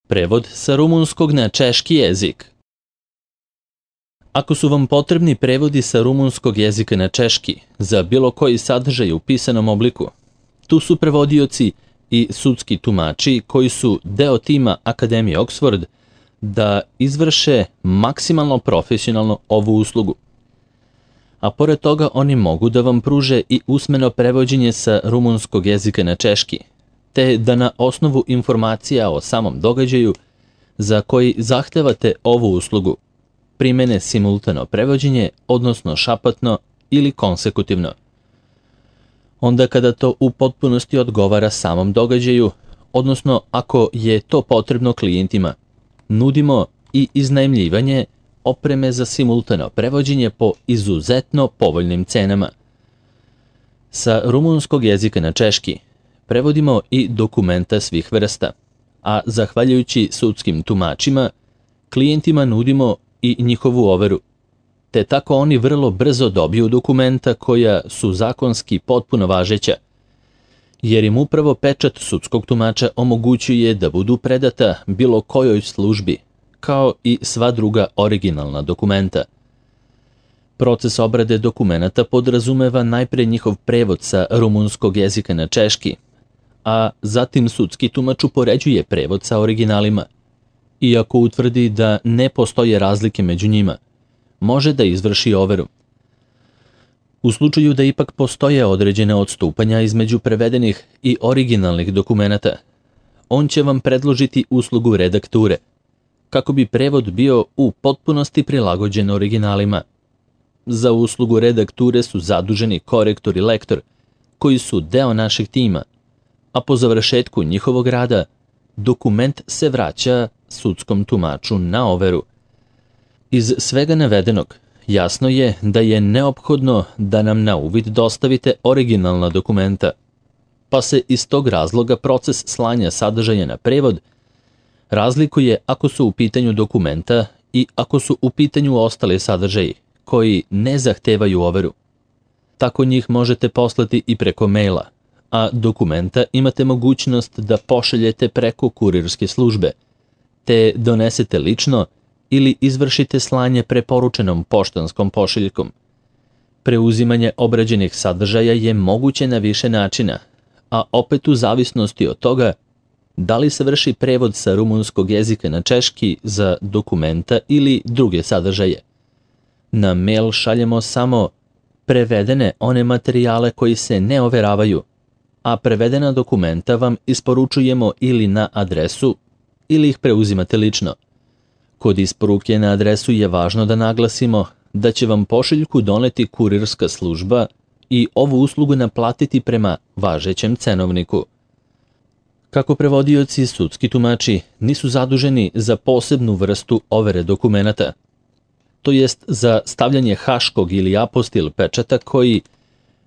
Prevod sa rumunskog na češki jezik. Ako su vam potrebni prevodi sa rumunskog jezika na češki za bilo koji sadržaj u pisanom obliku, tu su prevodioci i sudski tumači koji su deo tima Akademije Oxford da izvrše maksimalno profesionalno ovu uslugu. A pored toga oni mogu da vam pruže i usmeno prevođenje sa rumunskog jezika na češki, te da na osnovu informacija o samom događaju za koji zahtevate ovu uslugu primene simultano prevođenje, odnosno šapatno ili konsekutivno. Onda kada to u potpunosti odgovara samom događaju, odnosno ako je to potrebno klijentima, nudimo i iznajmljivanje opreme za simultano prevođenje po izuzetno povoljnim cenama. Sa rumunskog jezika na češki prevodimo i dokumenta svih vrsta, a zahvaljujući sudskim tumačima, klijentima nudimo i njihovu overu, te tako oni vrlo brzo dobiju dokumenta koja su zakonski potpuno važeća, jer im upravo pečat sudskog tumača omogućuje da budu predata bilo kojoj službi, kao i sva druga originalna dokumenta. Proces obrade dokumenata podrazumeva najpre njihov prevod sa rumunskog jezika na češki, a zatim sudski tumač upoređuje prevod sa originalima. Iako utvrdi da ne postoje razlike među njima, može da izvrši overu. U slučaju da ipak postoje određene odstupanja između prevedenih i originalnih dokumenata, on će vam predložiti uslugu redakture, kako bi prevod bio u potpunosti prilagođen originalima. Za uslugu redakture su zaduženi korektor i lektor, koji su deo našeg tima, a po završetku njihovog rada, dokument se vraća sudskom tumaču na overu. Iz svega navedenog, jasno je da je neophodno da nam na uvid dostavite originalna dokumenta, pa se iz tog razloga proces slanja sadržaja na prevod razlikuje ako su u pitanju dokumenta i ako su u pitanju ostale sadržaji koji ne zahtevaju overu. Tako njih možete poslati i preko maila, a dokumenta imate mogućnost da pošaljete preko kurirske službe, te donesete lično ili izvršite slanje preporučenom poštanskom pošiljkom. Preuzimanje obrađenih sadržaja je moguće na više načina, a opet u zavisnosti od toga da li se vrši prevod sa rumunskog jezika na češki za dokumenta ili druge sadržaje. Na mail šaljemo samo prevedene one materijale koji se ne overavaju, a prevedena dokumenta vam isporučujemo ili na adresu ili ih preuzimate lično. Kod isporuke na adresu je važno da naglasimo da će vam pošiljku doneti kurirska služba i ovu uslugu naplatiti prema važećem cenovniku. Kako prevodioci i sudski tumači nisu zaduženi za posebnu vrstu overe dokumenata, to jest za stavljanje haškog ili apostil pečata koji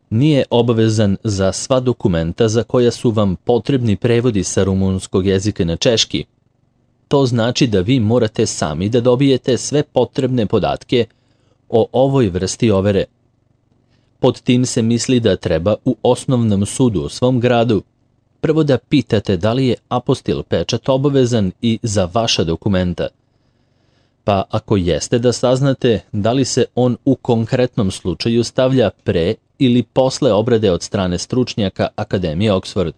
nije obavezan za sva dokumenta za koja su vam potrebni prevodi sa rumunskog jezika na češki. To znači da vi morate sami da dobijete sve potrebne podatke o ovoj vrsti overe. Pod tim se misli da treba u osnovnom sudu u svom gradu prvo da pitate da li je apostil pečat obavezan i za vaša dokumenta. Pa ako jeste, da saznate da li se on u konkretnom slučaju stavlja pre ili posle obrade od strane stručnjaka Akademije Oxford.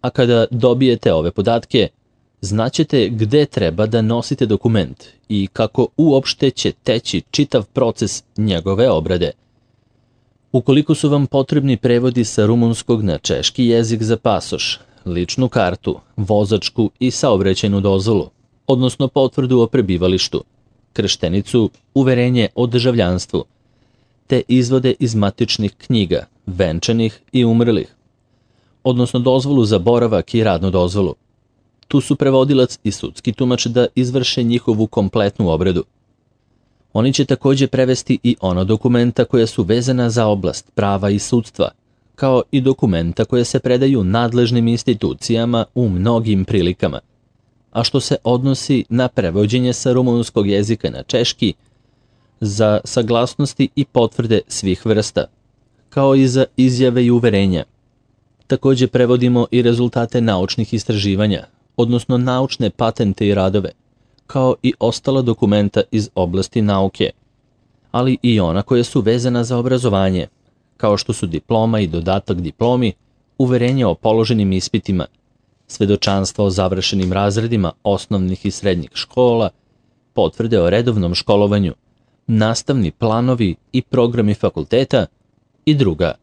A kada dobijete ove podatke, znaćete gde treba da nosite dokument i kako uopšte će teći čitav proces njegove obrade. Ukoliko su vam potrebni prevodi sa rumunskog na češki jezik za pasoš, ličnu kartu, vozačku i saobraćajnu dozvolu, odnosno potvrdu o prebivalištu, krštenicu, uverenje o državljanstvu, te izvode iz matičnih knjiga, venčanih i umrlih, odnosno dozvolu za boravak i radnu dozvolu. Tu su prevodilac i sudski tumač da izvrše njihovu kompletnu obradu. Oni će takođe prevesti i ona dokumenta koja su vezana za oblast prava i sudstva, kao i dokumenta koje se predaju nadležnim institucijama u mnogim prilikama, a što se odnosi na prevođenje sa rumunskog jezika na češki za saglasnosti i potvrde svih vrsta, kao i za izjave i uverenja. Takođe prevodimo i rezultate naučnih istraživanja, odnosno naučne patente i radove, kao i ostala dokumenta iz oblasti nauke, ali i ona koja su vezana za obrazovanje, kao što su diploma i dodatak diplomi, uverenje o položenim ispitima, svedočanstva o završenim razredima osnovnih i srednjih škola, potvrde o redovnom školovanju, nastavni planovi i programi fakulteta i druga.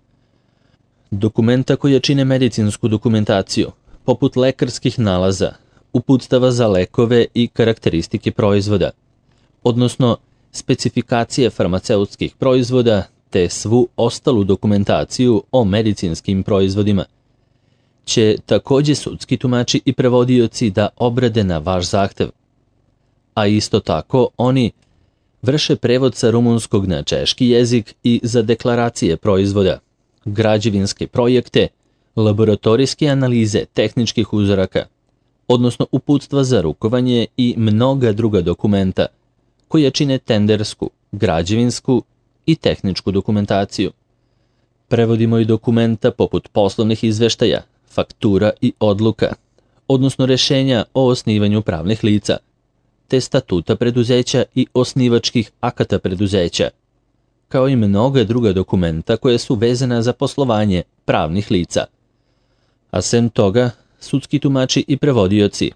Dokumenta koja čine medicinsku dokumentaciju, poput lekarskih nalaza, uputstava za lekove i karakteristike proizvoda, odnosno specifikacije farmaceutskih proizvoda te svu ostalu dokumentaciju o medicinskim proizvodima, će takođe sudski tumači i prevodioci da obrade na vaš zahtev. A isto tako oni vrše prevod sa rumunskog na češki jezik i za deklaracije proizvoda, građevinske projekte, laboratorijske analize tehničkih uzoraka, odnosno uputstva za rukovanje i mnoga druga dokumenta koja čine tendersku, građevinsku i tehničku dokumentaciju. Prevodimo i dokumenta poput poslovnih izveštaja, faktura i odluka, odnosno rešenja o osnivanju pravnih lica, te statuta preduzeća i osnivačkih akata preduzeća, kao i mnoga druga dokumenta koje su vezana za poslovanje pravnih lica. A sem toga, sudski tumači i prevodioci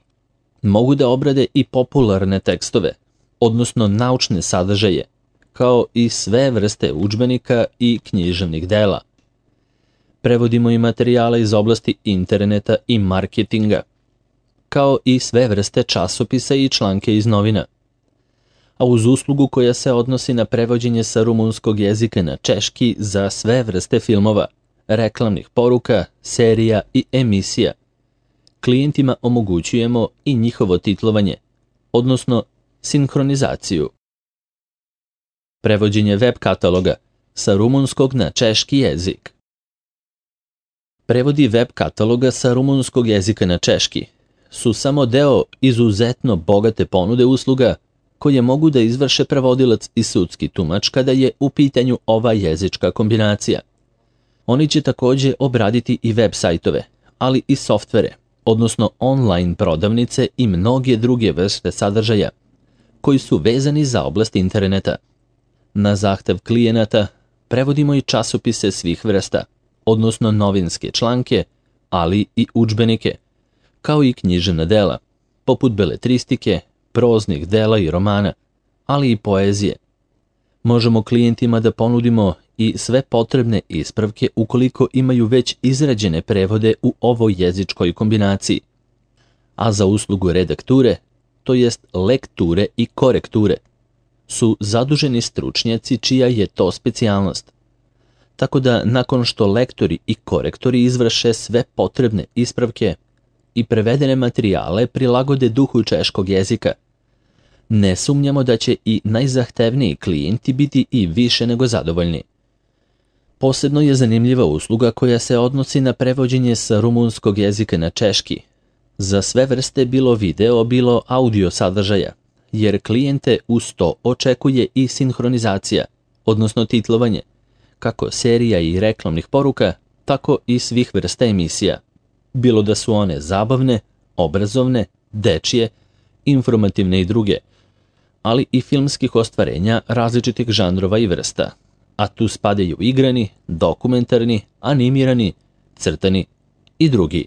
mogu da obrade i popularne tekstove, odnosno naučne sadržaje, kao i sve vrste udžbenika i književnih dela. Prevodimo i materijale iz oblasti interneta i marketinga, kao i sve vrste časopisa i članke iz novina. A uz uslugu koja se odnosi na prevođenje sa rumunskog jezika na češki za sve vrste filmova, reklamnih poruka, serija i emisija, klijentima omogućujemo i njihovo titlovanje, odnosno sinhronizaciju. Prevođenje web kataloga sa rumunskog na češki jezik. Prevodi web kataloga sa rumunskog jezika na češki su samo deo izuzetno bogate ponude usluga koje mogu da izvrše prevodilac i sudski tumač kada je u pitanju ova jezička kombinacija. Oni će takođe obraditi i web sajtove, ali i softvere, odnosno online prodavnice i mnoge druge vrste sadržaja koji su vezani za oblast interneta. Na zahtev klijenata prevodimo i časopise svih vrsta, odnosno novinske članke, ali i udžbenike, kao i književna dela, poput beletristike, proznih dela i romana, ali i poezije. Možemo klijentima da ponudimo i sve potrebne ispravke ukoliko imaju već izrađene prevode u ovoj jezičkoj kombinaciji. A za uslugu redakture, to jest lekture i korekture, su zaduženi stručnjaci čija je to specijalnost. Tako da nakon što lektori i korektori izvrše sve potrebne ispravke i prevedene materijale prilagode duhu češkog jezika, ne sumnjamo da će i najzahtevniji klijenti biti i više nego zadovoljni. Posebno je zanimljiva usluga koja se odnosi na prevođenje sa rumunskog jezika na češki, za sve vrste bilo video, bilo audio sadržaja, jer klijente uz to očekuje i sinhronizacija, odnosno titlovanje, kako serija i reklamnih poruka, tako i svih vrsta emisija, bilo da su one zabavne, obrazovne, dečije, informativne i druge, ali i filmskih ostvarenja različitih žanrova i vrsta, a tu spadaju igrani, dokumentarni, animirani, crtani i drugi.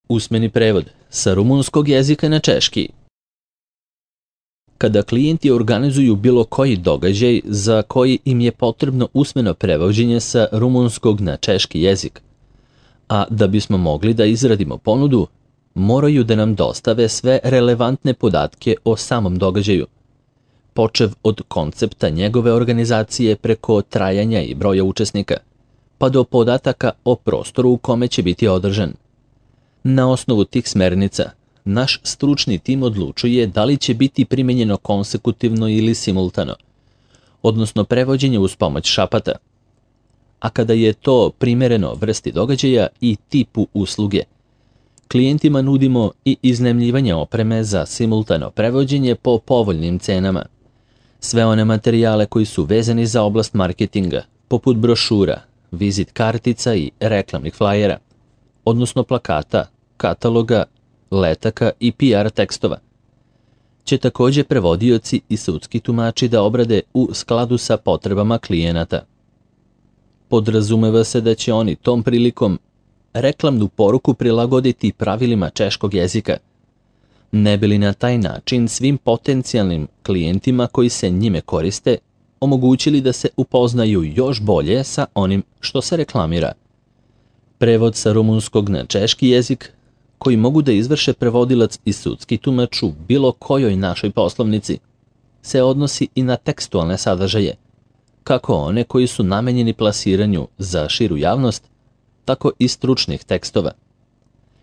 Usmeni prevod sa rumunskog jezika na češki. Kada klijenti organizuju bilo koji događaj za koji im je potrebno usmeno prevođenje sa rumunskog na češki jezik, a da bismo mogli da izradimo ponudu, moraju da nam dostave sve relevantne podatke o samom događaju, počev od koncepta njegove organizacije preko trajanja i broja učesnika, pa do podataka o prostoru u kome će biti održan. Na osnovu tih smernica, naš stručni tim odlučuje da li će biti primenjeno konsekutivno ili simultano, odnosno prevođenje uz pomoć šapata. A kada je to primereno vrsti događaja i tipu usluge, klijentima nudimo i iznajmljivanje opreme za simultano prevođenje po povoljnim cenama. Sve one materijale koji su vezani za oblast marketinga, poput brošura, vizit kartica i reklamnih flajera, odnosno plakata, kataloga letaka i PR tekstova, će također prevodioci i sudski tumači da obrade u skladu sa potrebama klijenata. Podrazumeva se da će oni tom prilikom reklamnu poruku prilagoditi pravilima češkog jezika, ne bi li na taj način svim potencijalnim klijentima koji se njime koriste omogućili da se upoznaju još bolje sa onim što se reklamira. Prevod sa rumunskog na češki jezik, koji mogu da izvrše prevodilac i sudski tumač u bilo kojoj našoj poslovnici, se odnosi i na tekstualne sadržaje, kako one koji su namenjeni plasiranju za širu javnost, tako i stručnih tekstova.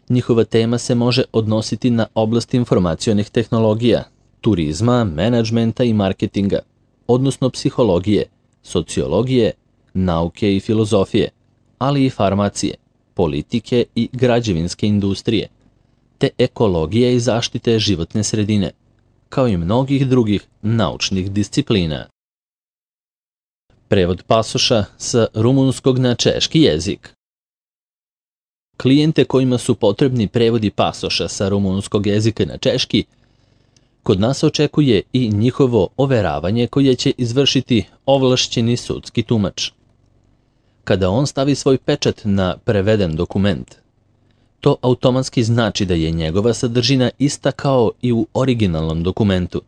Njihova tema se može odnositi na oblast informacionih tehnologija, turizma, menadžmenta i marketinga, odnosno psihologije, sociologije, nauke i filozofije, ali i farmacije, politike i građevinske industrije, te ekologije i zaštite životne sredine, kao i mnogih drugih naučnih disciplina. Prevod pasoša sa rumunskog na češki jezik. Klijente kojima su potrebni prevodi pasoša sa rumunskog jezika na češki, kod nas očekuje i njihovo overavanje koje će izvršiti ovlašćeni sudski tumač. Kada on stavi svoj pečat na preveden dokument, to automatski znači da je njegova sadržina ista kao i u originalnom dokumentu,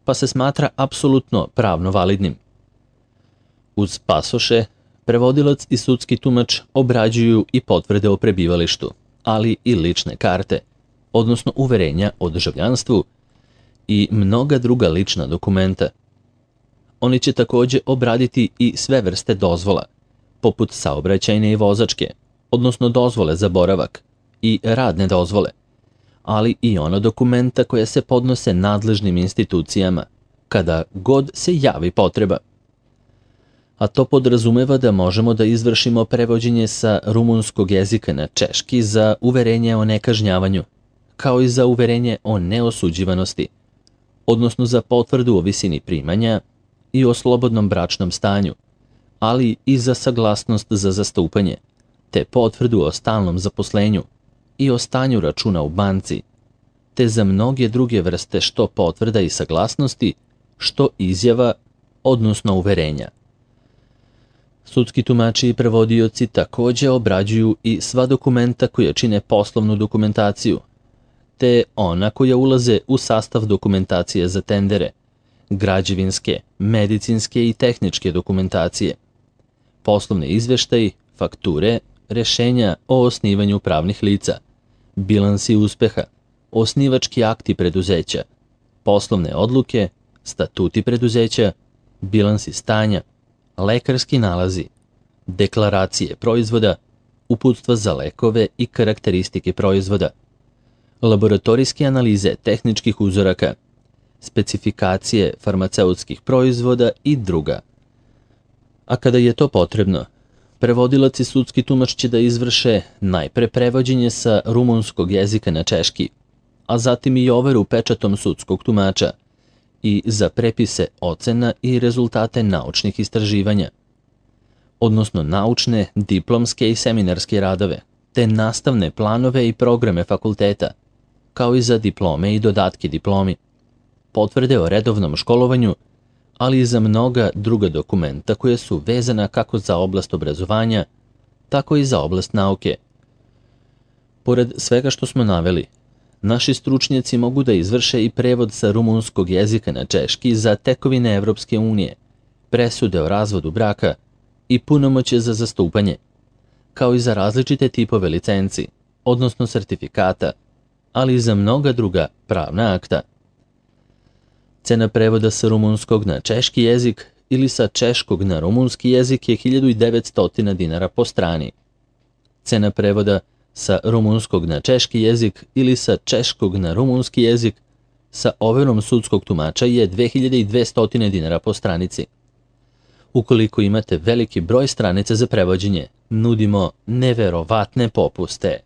pa se smatra apsolutno pravno validnim. Uz pasoše, prevodilac i sudski tumač obrađuju i potvrde o prebivalištu, ali i lične karte, odnosno uverenja o državljanstvu i mnoga druga lična dokumenta. Oni će također obraditi i sve vrste dozvola, poput saobraćajne i vozačke, odnosno dozvole za boravak i radne dozvole, ali i ona dokumenta koja se podnose nadležnim institucijama, kada god se javi potreba. A to podrazumeva da možemo da izvršimo prevođenje sa rumunskog jezika na češki za uverenje o nekažnjavanju, kao i za uverenje o neosuđivanosti, odnosno za potvrdu o visini primanja i o slobodnom bračnom stanju, ali i za saglasnost za zastupanje, te potvrdu o stalnom zaposlenju i o stanju računa u banci, te za mnoge druge vrste što potvrda i saglasnosti, što izjava, odnosno uverenja. Sudski tumači i prevodioci također obrađuju i sva dokumenta koja čine poslovnu dokumentaciju, te ona koja ulaze u sastav dokumentacije za tendere, građevinske, medicinske i tehničke dokumentacije, poslovne izveštaji, fakture, rešenja o osnivanju pravnih lica, bilansi uspeha, osnivački akti preduzeća, poslovne odluke, statuti preduzeća, bilansi stanja, lekarski nalazi, deklaracije proizvoda, uputstva za lekove i karakteristike proizvoda, laboratorijske analize tehničkih uzoraka, specifikacije farmaceutskih proizvoda i druga. A kada je to potrebno, prevodilac i sudski tumač će da izvrše najpre prevođenje sa rumunskog jezika na češki, a zatim i overu pečatom sudskog tumača i za prepise ocena i rezultate naučnih istraživanja, odnosno naučne, diplomske i seminarske radove, te nastavne planove i programe fakulteta, kao i za diplome i dodatke diplomi, potvrde o redovnom školovanju, ali i za mnoga druga dokumenta koje su vezana kako za oblast obrazovanja, tako i za oblast nauke. Pored svega što smo naveli, naši stručnjaci mogu da izvrše i prevod sa rumunskog jezika na češki za tekovine Evropske unije, presude o razvodu braka i punomoćje za zastupanje, kao i za različite tipove licenci, odnosno sertifikata, ali i za mnoga druga pravna akta. Cena prevoda sa rumunskog na češki jezik ili sa češkog na rumunski jezik je 1900 dinara po strani. Cena prevoda sa rumunskog na češki jezik ili sa češkog na rumunski jezik sa overom sudskog tumača je 2200 dinara po stranici. Ukoliko imate veliki broj stranica za prevođenje, nudimo neverovatne popuste.